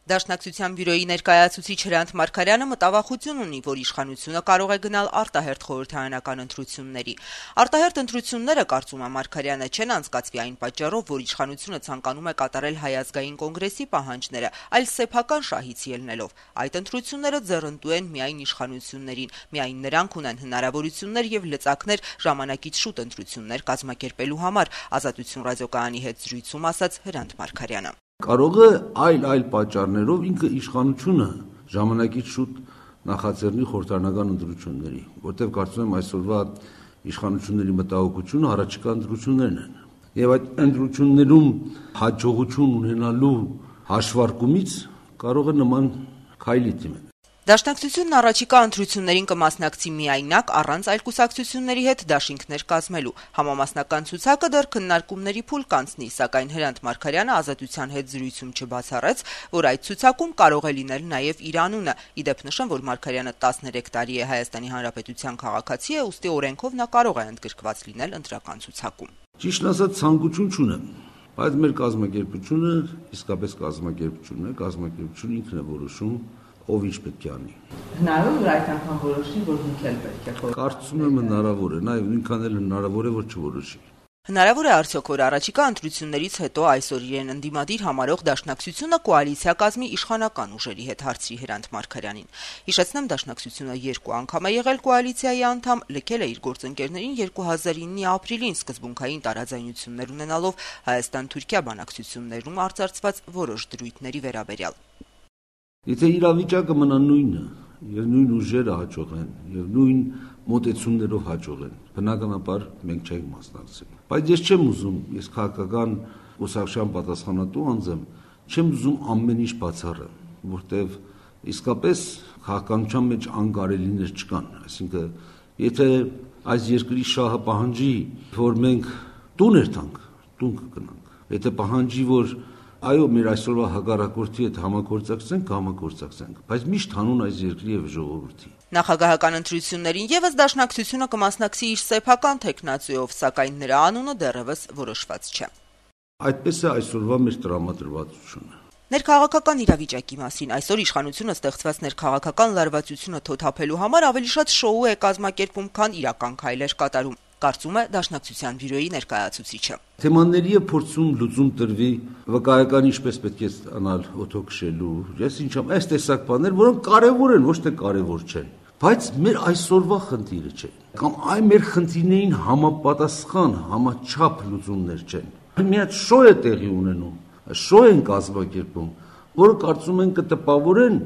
Դաշնակցության բյուրոյի ներկայացուցիչ Հրանտ Մարգարյանը մտավախություն ունի, որ իշխանությունը կարող է գնալ արտահերթ խորհրդարանական ընտրությունների։ Արտահերթ ընտրությունները, կարծում է Մարգարյանը, չեն անցկացվի այն պատճառով, որ իշխանությունը ցանկանում է կատարել Հայ ազգային կոնգրեսի պահանջները, այլ սեփական շահից ելնելով։ Այդ ընտրությունները ձեռնտու են միայն իշխանություններին, միայն նրանք ունեն հնարավորություններ եւ լծակներ ժամանակից շուտ ընտրություններ կազմակերպելու համար, Ազատություն ռադիոկայանի հետ զրույցում ասաց Հրանտ Մարգարյանը։ Կարող է այլ պատճառներով ինքը իշխանությունը ժամանակից շուտ նախաձեռնի խորհրդարանական ընտրությունների, որտեղ կարծում եմ այսօրվա իշխանությունների մտահոգությունը առաջիկա ընտրություններն են։ Եվ այդ ընտրություններում հաջողություն ունենալու հաշվարկումից կարող է նման քայլի դիմել։ Դաշնակցությունն առաջիկա ընտրություններին կմասնակցի միայնակ առանց այլ կուսակցությունների հետ դաշինքներ կազմելու։ Համամասնական ցուցակը դեռ քննարկումների փուլ կանցնի, սակայն Հրանտ Մարգարյանը Ազատության հետ զրույցում չբացառեց, որ այդ ցուցակում կարող է լինել նաև իր անունը։ Իդեպ նշեմ, որ Մարգարյանը 13 տարի է Հայաստանի Հանրապետության քաղաքացի է, ուստի օրենքով նա կարող է ընդգրկված լինել ընտրական ցուցակում։ Ճիշտն ասած, ցանկություն չունեմ, բայց մեր կազմակերպությունը իսկապես կազմակերպություն է, կազմակերպությունը ինքն է որոշում ով ինչ պետք է անի։ Հնարավոր է այդ անգամ որոշի, որ ինքն էլ պետք է խորհրդանիշ։ Կարծում եմ հնարավոր է, նաև նույնքան էլ հնարավոր է, որ չորոշի։ Հնարավոր է արդյոք, որ առաջիկա ընտրություններից հետո այսօր իրեն ընդդիմադիր համարող Դաշնակցությունը կոալիցիա կազմի իշխանական ուժերի հետ, հարցրի Հրանտ Մարգարյանին։ Հիշեցնեմ, Դաշնակցությունը 2 անգամ է եղել կոալիցիայի անդամ, լքել է իր գործընկերներին 2009-ի ապրիլին սկզբունքային տարաձայնություններ ունենալով Հայաստան-Թուրքիա բանակցություններում արծարծված որոշ դրույթների վերաբերյալ։ Եթե իրավիճակը մնա նույնը, եւ նույն ուժերը հաջողեն, եւ նույն մոտեցումներով հաջողեն, բնականաբար մենք չենք մասնակցել։ Բայց ես չեմ ուզում, ես քաղաքական ուսակցության պատասխանատու անձ եմ, չեմ ուզում ամեն ինչ բացառել, որտեվ իսկապես քաղաքականության մեջ անկարելիներ չկան, այսինքն եթե այս երկրի շահը պահանջի, որ մենք տուն երթանք, տուն կգնանք, եթե պահանջի, որ այո, մեր այսօրվա հակառակորդի հետ համագործակցենք, բայց միշտ հանուն այս երկրի եւ ժողովրդի։ Նախագահական ընտրություններին եւս Դաշնակցությունը կմասնակցի իր սեփական տեխնացիով, սակայն նրա անունը դեռևս որոշված չէ։ Այդպես է այսօրվա մեր տրամադրվածությունը։ Ներքաղաքական իրավիճակի մասին այսօր իշխանությունը ստեղծված ներքաղաքական լարվածությունը թոթափելու համար ավելի շատ շոու է կազմակերպում, քան իրական քայլեր կատարում, կարծում է Դաշնակցության բյուրոյի ներկայացուցիչը։ Թեմաների է փորձում լուծում տրվի, վկայական ինչպես պետք է ստանալ օթոքշելու, ես ինչամ, այս տեսակ բաներ, որոնք կարևոր են, ոչ թե կարևոր չեն, բայց մեր այսօրվա խնդիրը չէ, կամ այ մեր խնդիրներին համապատասխան, համաչափ լուծումներ չեն։ Մի հատ շո է տեղի ունենում, շո են կազմակերպում, որը կարծում են կտպավորեն,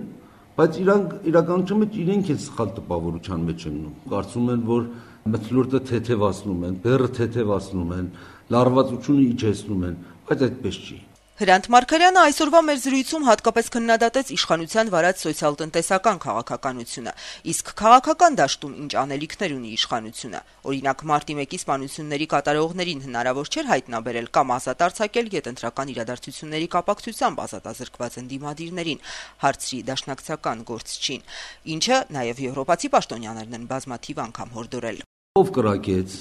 բայց իրանք իրականության մեջ իրենք են սխալ տպավորության մեջ ընկնում։ Կարծում են, որ մթնոլորտը թեթևացնում են, բեռը թեթևացնում են, լարվածությունը իջեցնում են, բայց այդպես չի։ Հրանտ Մարգարյանը այսօրվա մեր զրույցում հատկապես քննադատեց իշխանության վարած սոցիալ-տնտեսական քաղաքականությունը, իսկ քաղաքական դաշտում ինչ անելիքներ ունի իշխանությունը։ Օրինակ, մարտի 1-ի սպանությունների կատարողներին հնարավոր չէր հայտնաբերել կամ ազատ արձակել գետնտրական իրադարձությունների կապակցությամբ ազատազրկված ընդդիմադիրներին, հարցրի դաշնակցական գործչին, ինչը նաև եվրոպացի պաշտոնյաներն են բազմաթիվ անգամ հորդորել։ Ով կրակեց,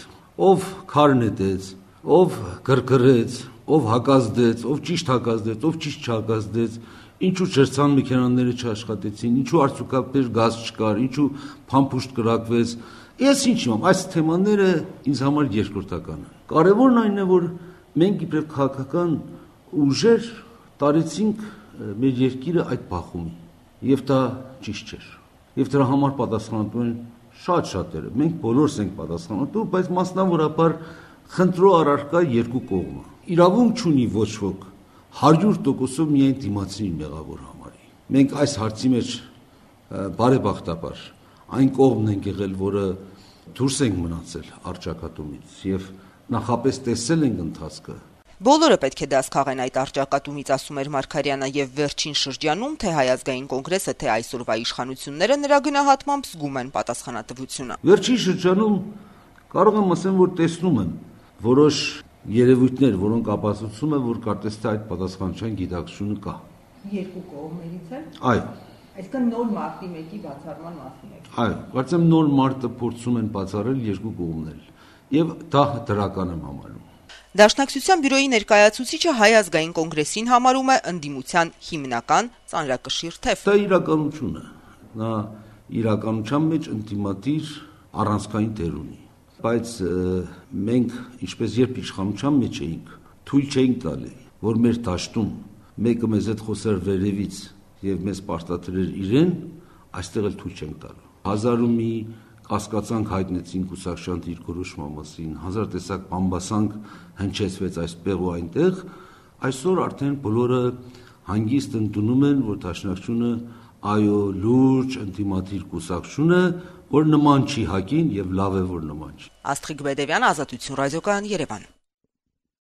ով քար նետեց, ով գրգռեց, ով հակազդեց, ով ճիշտ հակազդեց, ով ճիշտ չհակազդեց, ինչու շերտցան մեքենաները չաշխատեցին, ինչու արդյունքաբեր գազ չկար, ինչու փամփուշտ կրակվեց։ Ես ինչ իմ, այս թեմաները ինձ համար երկրորդական են։ Կարևորն այն է, որ մենք իբրև քաղաքական ուժեր տարեցինք մեր երկիրը այդ բախումի, եւ դա ճիշտ չէր։ Եվ դրա համար պատասխանատու են շատ-շատերը։ Մենք բոլորս ենք պատասխանատու, բայց մասնավորապես խնդրո առարկա երկու կողմը։ Իրավունք չունի ոչ ոք 100%-ով միայն դիմացին մեղավոր համարի։ Մենք այս հարցի մեջ բարեբախտաբար այն կողմն ենք եղել, որը դուրս ենք մնացել առճակատումից եւ նախապես տեսել ենք ընթացքը։ Բոլորը պետք է դաս քաղեն այդ առճակատումից, ասում էր Մարգարյանը, եւ վերջին շրջանում թե Հայ ազգային կոնգրեսը, թե այսօրվա իշխանությունները նրա գնահատմամբ զգում են պատասխանատվությունը։ Վերջին շրջանում կարող եմ ասեմ, որ տեսնում եմ որոշ երևույթներ, որոնք ապացուցում են, որ կարծես թե այդ պատասխանատվության գիտակցությունը կա։ Երկու կողմերից է։ Այո։ Այսինքն նոր մարտի 1-ի բացառման մասին է։ Այո, կարծեմ նոր մարտը փորձում են բացառել երկու կողմներ, եւ դա դրական եմ համարում։ Դաշնակցության բյուրոյի ներկայացուցիչը Հայ ազգային կոնգրեսին համարում է ընդդիմության հիմնական ծանրակշիռ թեվ։ Դա իրականություն է։ Նա իրականության մեջ ընդդիմադիր առանցքային դեր ունի։ Բայց մենք, ինչպես երբ իշխանության մեջ էինք, թույլ չէինք տալի, որ մեր դաշտում մեկը մեզ հետ խոսեր վերևից եւ մեզ պարտադրեր իրեն, այստեղ էլ թույլ չենք տալու։ Հազար ու մի կասկածանք հայտնեցին Կուսակցության դիրքորոշման մասին, հազար տեսակ բամբասանք հնչեցվեց այստեղ ու այնտեղ, այսօր արդեն բոլորը հանգիստ ընդունում են, որ Դաշնակցությունը այո լուրջ ընդդիմադիր կուսակցություն է, որ նման չի ՀԱԿ-ին եւ լավ է որ նման չի։ Աստղիկ Բեդևյան, Ազատություն ռադիոկայան, Երևան։